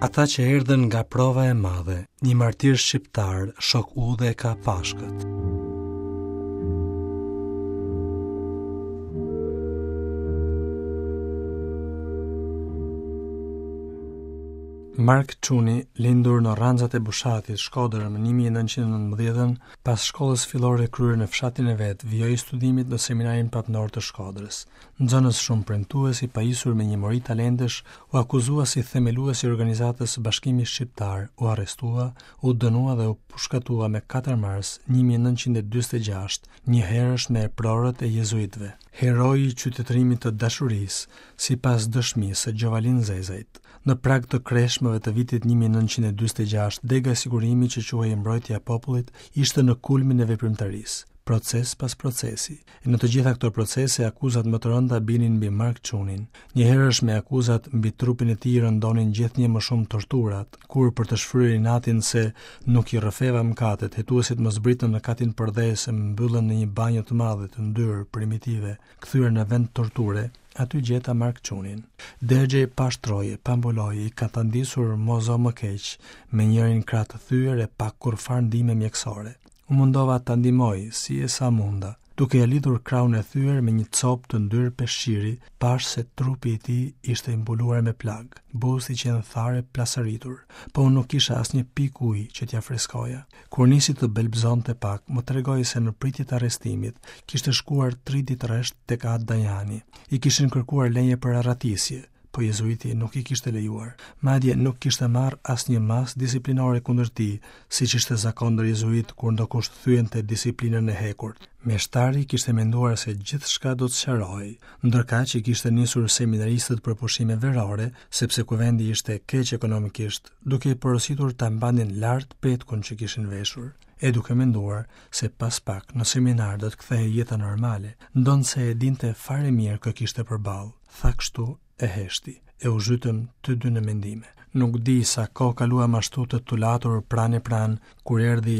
Ata që erdhën nga prova e madhe, një martir shqiptar, shok udhe e ka Pashkët. Mark Çuni, lindur në Rranxat e Bushatit, Shkodër, më 1919-ën, pas shkollës fillore kryer në fshatin e vet, vijoi studimet në Seminarin Papnor të Shkodrës. Nxënës shumë premtues i pajisur me një mori talentesh, u akuzua si themelues i organizatës Bashkimi Shqiptar, u arrestua, u dënua dhe u pushkatua me 4 mars 1946, njëherësh me eprorët e jezuitëve. Heroi i qytetërimit të dashurisë, sipas dëshmisë së Gjovalin Zezajt. Në prag të kreshmëve të vitit 1946, dega e sigurimit që quhej Mbrojtja e Popullit ishte në kulmin e veprimtarisë, proces pas procesi. E në të gjitha këto procese akuzat më të rënda binin mbi Mark Çunin. Njëherësh me akuzat mbi trupin e tij rëndonin gjithnjë më shumë torturat, kur për të shfryrë inatin se nuk i rrëfeva mëkatet, hetuesit më zbritën në katin përdhes e më mbyllën në një banjo të madhe, të ndyrë, primitive, kthyer në vend torture, aty gjeta Mark Çunin. Dergjej pa shtroje, pa mbuloje, i katandisur mo zo më keq, me njërin krah të thyer e pa kurrfarë ndihme mjekësore. U mundova ta ndihmoj, si e sa munda. Duke ia lidhur krahun e thyer me një copë të ndyrë peshqiri, pashë se trupi i tij ishte i mbuluar me plagë, buzët i qenë tharë e plasaritur, po unë nuk kisha asnjë pikë ujë që t'ia freskoja. Kur nisi të belbëzonte pak, më tregoi se në pritje të arrestimit, kishte shkuar tri ditë rresht tek At Danjani. I kishin kërkuar leje për arratisje, po jezuiti nuk i kishte lejuar. Madje nuk kishte marrë asnjë masë disiplinore kundër tij, siç ishte zakon ndër jezuitë kur ndokush thyente disiplinën e hekurt. Meshtari kishte menduar se gjithçka do të sqarohej, ndërkaq i kishte nisur seminaristët për pushime verore, sepse kuvendi ishte keq ekonomikisht, duke i porositur ta mbanin lart petkun që kishin veshur, e duke menduar se pas pak në seminar do të kthehej jeta normale, ndonëse e dinte fare mirë kë kishte përballë. Tha kështu e heshti, e u zhytëm të dy në mendime. Nuk di sa kohë kaluam ashtu të tulatur pranë e pranë, kur erdhi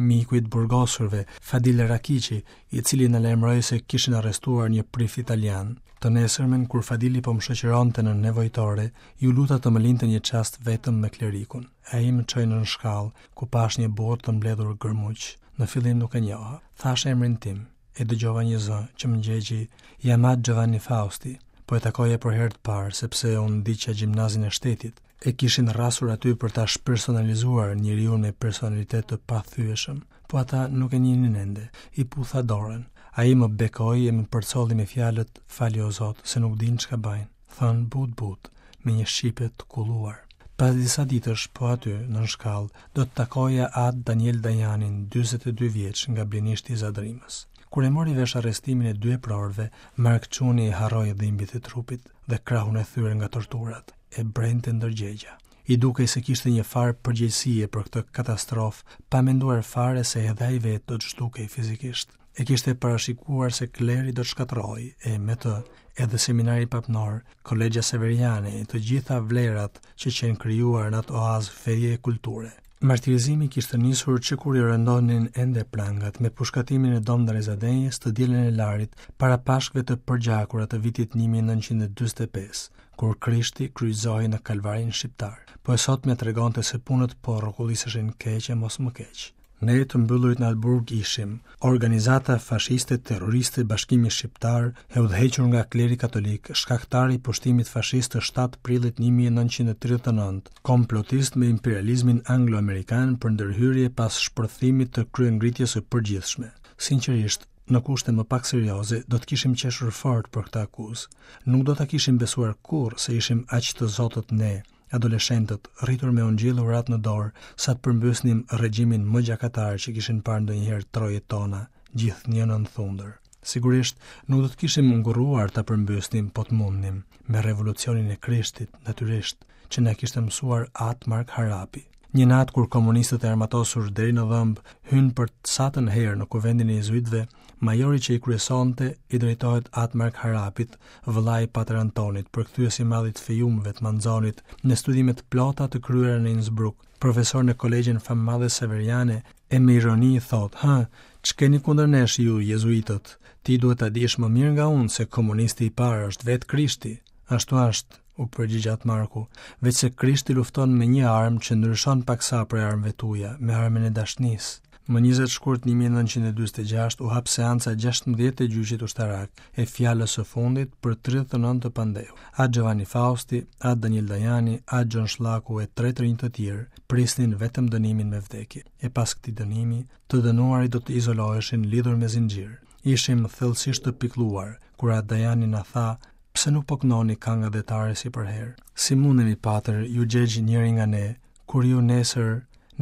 miku i të burgosurve, Fadil Rakiqi, i cili na lajmëroi se kishin arrestuar një prift italian. Të nesërmen, kur Fadili po më shoqëronte në nevojtore, iu luta të më linte një çast vetëm me klerikun. Ai më çoi nën shkallë, ku pashë një burrë të mbledhur gërmuq. Në fillim nuk e njoha. Thashë emrin tim. E dëgjova një zë që më ngjegji, jam At Giovanni Fausti. Po e takoja për herë të parë, sepse unë ndiqja gjimnazin e shtetit. E kishin rrasur aty për ta shpersonalizuar njeriun me personalitet të pathyeshëm. Po ata nuk e njihnin ende. I putha dorën. Ai më bekoi e më përcolli me fjalët, fali o Zot, se nuk dinë çka bajnë. Thënë butë-butë, me një shqipe të kulluar. Pas disa ditësh, po aty, nën shkallë, do të takoja At Daniel Danjanin, 42 vjeç, nga Blinishti i Zadrimës. Kur e mori vesh arrestimin e dy eprorëve, Mark Çuni i harroi dhimbjet e trupit dhe krahun e thyer nga torturat, e brente ndërgjegja. I dukej se kishte një farë përgjegjësie për këtë katastrofë, pa menduar fare se edhe ai vetë do të zhdukej fizikisht. E kishte parashikuar se kleri do të shkatërrohej, e me të edhe seminari papnor, kolegja severiane e të gjitha vlerat që qenë krijuar në atë oaz feje e kulture. Martirizimi kishte nisur që kur i rëndonin ende prangat me pushkatimin e Dom Ndre Zadenjës të dielën e Larit para Pashkëve të përgjakura të vitit 1945, kur Krishti kryqëzohej në Kalvarin shqiptar. Po e sotmja tregonte se punët po rrokulliseshin keq e mos më keq. Ne të mbyllurit në atë burg ishim organizata fashiste terroriste Bashkimi Shqiptar e udhëhequr nga kleri katolik, shkaktar i pushtimit fashist të 7 prillit 1939, komplotist me imperializmin anglo-amerikan për ndërhyrje pas shpërthimit të kryengritjes së përgjithshme. Sinqerisht, në kushte më pak serioze, do të kishim qeshur fort për këtë akuzë. Nuk do ta kishim besuar kurrë se ishim aq të zotët ne, adoleshentët, rritur me ungjill e uratë në dorë, sa të përmbysnim regjimin më gjakatar që kishin parë ndonjëherë trojet tona, gjithnjë nën thundër. Sigurisht, nuk do të kishim ngurruar ta përmbysnim po të mundnim, me revolucionin e Krishtit, natyrisht, që na kishte mësuar At Mark Harapi. Një natë kur komunistët e armatosur deri në dhëmbë hynë për të satën herë në kuvendin e jezuitëve, majori që i kryesonte i drejtohet At Mark Harapit, vëllai i Pater Antonit, përkthyes i madh i të Fejumëve të Manzonit, me studime të plota të kryera në Innsbruck, profesor në kolegjen famëmadhe Severiane, e me ironi i thotë, "Hë, ç'keni kundër nesh ju jezuitët? Ti duhet ta dish më mirë nga unë se komunisti i parë është vetë Krishti." Ashtu është. U përgjigj At Marku, veçse Krishti lufton me një armë që ndryshon paksa prej armëve tuaja, me armën e dashnisë. Më 20 shkurt 1946 u hap seanca e 16 e gjyqit ushtarak, e fjalës së fundit për 39 të pandehur. At Giovanni Fausti, At Daniel Dajani, At Gjon Shllaku e tre të rinj të tjerë prisnin vetëm dënimin me vdekje. E pas këtij dënimi, të dënuarit do të izoloheshin lidhur me zinxhir. Ishim thellësisht të pikëlluar kur At Dajani na tha Pse nuk po këndoni kangë atdhetare si përherë? Si mundemi patër, iu gjegj njëri nga ne, kur ju nesër,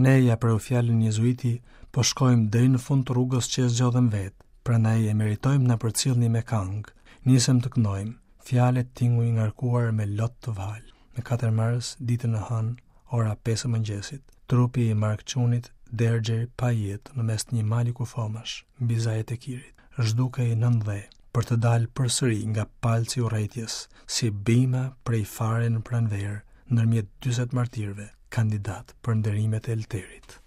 ne ia preu fjalën jezuiti, po shkojmë deri në fund të rrugës që e zgjodhëm vetë, prandaj e meritojmë të na përcillni me kangë. Nisëm të këndojmë, fjalë e tinguj ngarkuar me lot të valë. Më 4 mars, ditën e hënë, ora 5 e mëngjesit, trupi i Mark Çunit dergjej pa jetë në mes të një mali kufomash, mbi zajet e Kirit. Zhdukej nën dhe, për të dalë përsëri nga palci i urrejtjes, si bima prej fare në pranverë, ndërmjet 40 martirëve, kandidatë për nderimet e Elterit.